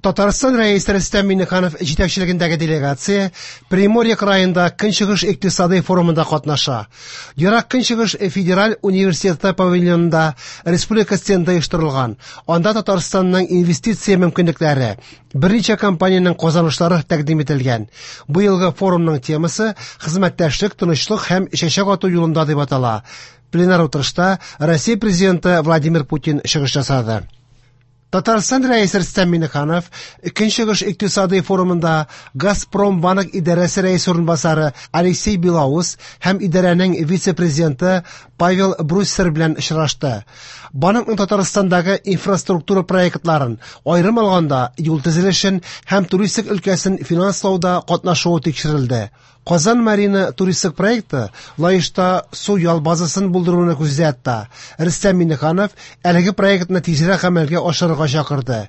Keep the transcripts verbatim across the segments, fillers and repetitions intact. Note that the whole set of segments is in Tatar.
Татарстан Рәисе Рөстәм Миңнеханов җитәкчелегендәге делегация Приморье краенда Көнчыгыш икътисадый форумында катнаша. Ерак Көнчыгыш федераль университеты павильонында республика стенды оештырылган. Анда Татарстанның инвестиция мөмкинлекләре, берничә компаниянең казанышлары тәкъдим ителгән. Бу елгы форумның темасы «Хезмәттәшлек, тынычлык һәм чәчәк ату юлында» дип атала. Пленар утырышта Россия президенты Владимир Путин чыгыш ясады. Татарстан Рәисе Рөстәм Миңнеханов Көнчыгыш икътисадый форумында Газпромбанк идарәсе рәисе урынбасары Алексей Белоус һәм идарәнең вице-президенты Павел Бруссер белән очрашты. Банкның Татарстандагы инфраструктура проектларын, аерым алганда юл төзелешен һәм туристик өлкәсен финанслауда катнашуы тикшерелде. Казан Марина туристик проекты Лаешта су ял базасын булдыруны күздә тотта. Рөстәм Миңнеханов әлеге проектны тизрәк гамәлгә ашырырга чакырды.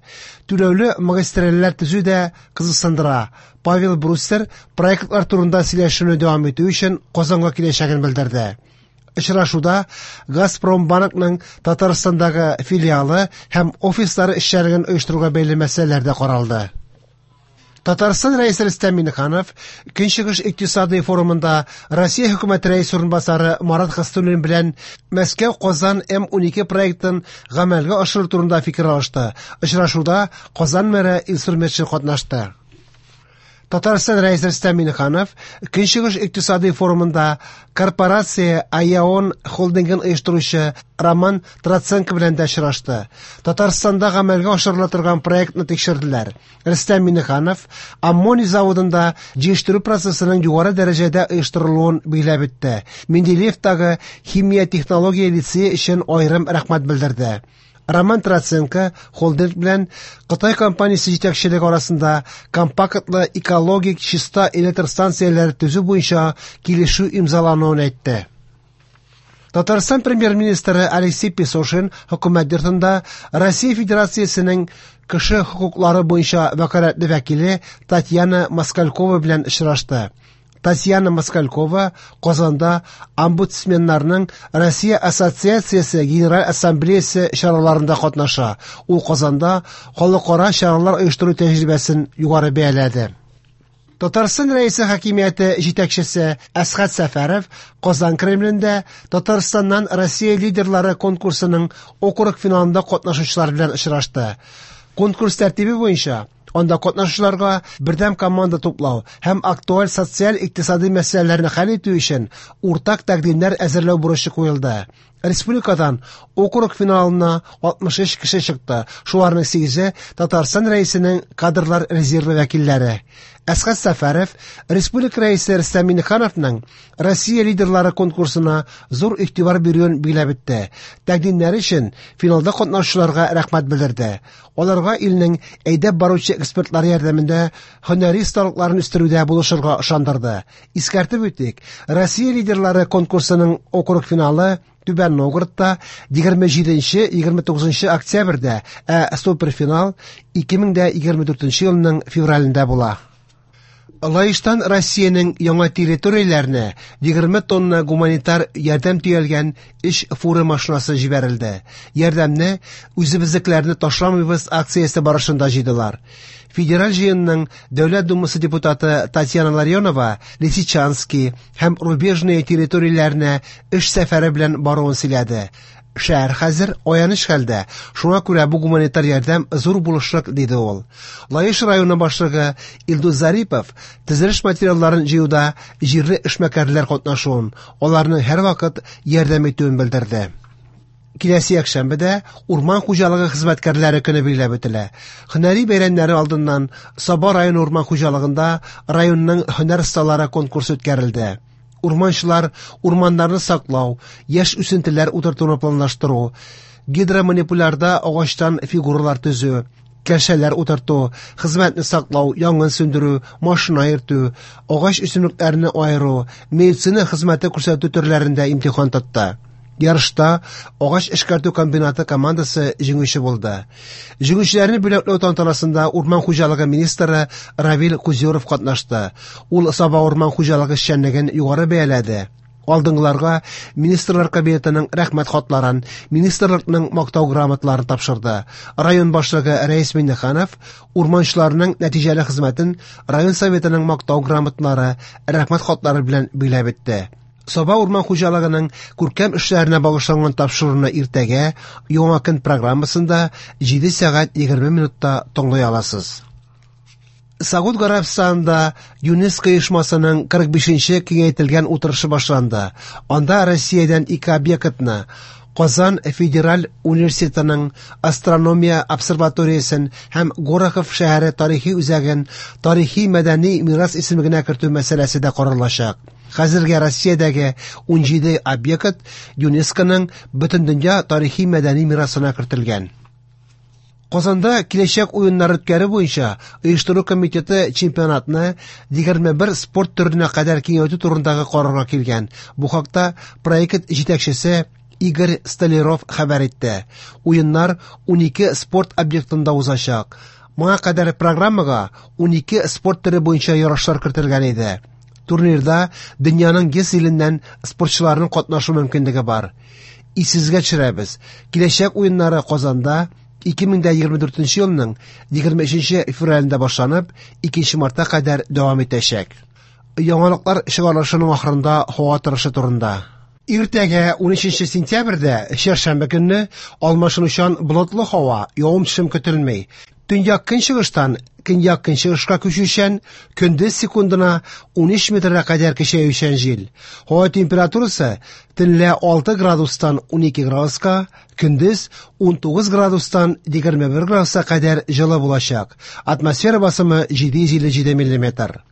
Түләүле магистральләр төзү дә кызыксындыра. Павел Бруссер проектлар турында сөйләшүне дәвам итү өчен Казанга киләчәген белдерде. Очрашуда Газпромбанкның Татарстандагы филиалы һәм офислары эшчәнлеген оештыруга бәйле мәсьәләләр дә каралды. Татарстан Рәисе Рөстәм Миңнеханов Көнчыгыш икътисадый форумында Россия хөкүмәте рәисе урынбасары Марат Хөснуллин белән Мәскәү-Казан М унике проектын гамәлгә ашыру турында фикер алышты. Очрашуда Казан мэры Илсур Метшин катнашты. Татарстан Рәисе Рөстәм Миңнеханов Көнчыгыш икътисадый форумында корпорация Аяон холдингын оештыручы Роман Троценко белән дә очрашты. Татарстанда гамәлгә ашырыла торган проектны тикшерделәр. Рөстәм Миңнеханов аммоний заводында җыештыру процессының югары дәрәҗәдә оештырылуын билгеләп үтте. Менделеевтагы химия технология лицее өчен аерым рәхмәт белдерде. Роман Троценко холдинг белән Кытай компаниясе җитәкчелеге арасында компактлы экологик чиста электр станцияләре төзү буенча килешү имзалануын әйтте. Татарстан премьер-министры Алексей Песошин хөкүмәт йортында Россия Федерациясенең кеше хокуклары буенча вәкаләтле вәкиле Татьяна Москалькова белән очрашты. Татьяна Москалькова Казанда омбудсменнарның Россия Ассоциациясе Генераль Ассамблеясы чараларында катнаша. Ул Казанда халыкара чаралар оештыру тәҗрибәсен югары бәяләде. Татарстан Рәисе хакимияте җитәкчесе Әсхәт Сәфәров Казан Кремлендә Татарстаннан Россия лидерлары конкурсының округ финалында катнашучылар белән очрашты. Конкурс тәртибе буенча анда катнашучыларга бердәм команда туплау һәм актуаль социаль-икътисади мәсьәләләрне хәл итү өчен уртак тәкъдимнәр әзерләү бурычы куелды. Республикадан округ финалына алтмыш өч кеше чыкты. Шуларның сигезе Татарстан Рәисенең кадрлар резервы вәкилләре. Әсхәт Сәфәров Республика Рәисе Рөстәм Миңнехановның Россия лидерлары конкурсына зур игътибар бирүен билгеләп үтте. Тәкъдимнәре өчен финалда катнашучыларга рәхмәт белдерде. Аларга илнең әйдәп баручы экспертлары ярдәмендә һөнәри осталыкларын үстерүдә булышырга ышандырды. Искәртеп үтик, Россия лидерлары конкурсының округ финалы Түбән Новгородта егерме җиденче, егерме тугызынчы октябрьдә, ә суперфинал ике мең дә егерме дүртенче елның февралендә була. Лаештан Россиянең яңа территорияләренә егерме тонна гуманитар ярдәм төялгән өч фура машинасы җибәрелде. Ярдәмне үзебезнекеләрне ташламыйбыз акциясе барышында җыйдылар. Федераль җыенның Дәүләт Думасы депутаты Татьяна Ларионова Лисичанский һәм Рубежные территорияләренә эш сәфәре белән баруын сөйләде. Шәһәр хәзер аяныч хәлдә, шуңа күрә бу гуманитар ярдәм зур булышлык, диде ул. Лаеш районы башлыгы Илдус Зарипов төзелеш материалларын җыюда җирле эшмәкәрләр катнашуын, аларның һәрвакыт ярдәм итүен белдерде. Киләсе якшәмбедә урман хуҗалыгы хезмәткәрләре көне билгеләп үтелә. Һөнәри бәйрәмнәре алдыннан Саба районы урман хуҗалыгында районның һөнәр осталары конкурсы үткәрелде. Урманчылар урманнарны саклау, яшь үсентеләр утыртуны планлаштыру, гидроманипулярда агачтан фигуралар төзү, кәшәләр утырту, хезмәтне саклау, янгын сүндерү, машина йөртү, агач үсемлекләрне аеру, медицина хезмәте күрсәтү төрләрендә имтихан тотты. Ярышта агач эшкәртү комбинаты командасы җиңүче булды. Җиңүчеләрне бүләкләү тантанасында урман хуҗалыгы министры Равил Кузюров катнашты. Ул Саба урман хуҗалыгы эшчәнлеген югары бәяләде. Алдынгыларга Министрлар Кабинетының рәхмәт хатларын, министрлыкның мактау грамоталарын тапшырды. Район башлыгы Рәис Миңнеханов урманчыларның нәтиҗәле хезмәтен район советының мактау грамоталары, рәхмәт хатлары белән биләп итте. Саба урман хуҗалыгының күркәм эшләренә багышланган тапшыруны иртәгә Яңа көн программасында җиде сәгать егерме минутта тыңлый аласыз. Сауд Гарәбстанында ЮНЕСКО оешмасының кырык бишенче киңәйтелгән утырышы башланды. Анда Россиядән ике объектны Казан федераль университетының астрономия обсерваториясен һәм Горохов шәһәре тарихи үзәген тарихи мәдәни мирас исемлегенә кертү мәсьәләсе дә каралачак. Хәзергә Россиядәге ун җиде объект ЮНЕСКОның Бөтендөнья тарихи мәдәни мирасына кертелгән. Казанда киләчәк уеннар үткәрү буенча оештыру комитеты чемпионатны егерме бер спорт төренә кадәр киңәйтү турындагы карарга килгән. Бу хакта проект җитәкчесе Игорь Столяров хәбәр итте. Уеннар ун ике спорт объектында узачак. Моңа кадәр программага ун ике спорт төре буенча ярышлар кертелгән иде. Турнирда дөньяның йөз иленнән спортчыларның катнашу мөмкинлеге бар. Исегезгә төшерәбез. Киләчәк уеннары Казанда ике мең дә егерме дүртенче елның егерме өченче февралендә башланып, икенче мартка кадәр дәвам итәчәк. Яңалыклар чыгарылышының ахырында һава торышы турында. Иртәгә ун өченче сентябрьдә, чәршәмбе көнне, алмашынучан болытлы һава, явым-төшем көтелми. Төньяк көнчыгыштан көньяк көнчыгышка күчүчән, көндез секундына ун өч метрга кадәр көчәючән җил. Һава температурасы төнлә алты градустан ун ике градуска, көндез ун тугыз градустан егерме бер градуска кадәр җылы булачак. Атмосфера басымы җиде йөз илле җиде миллиметр.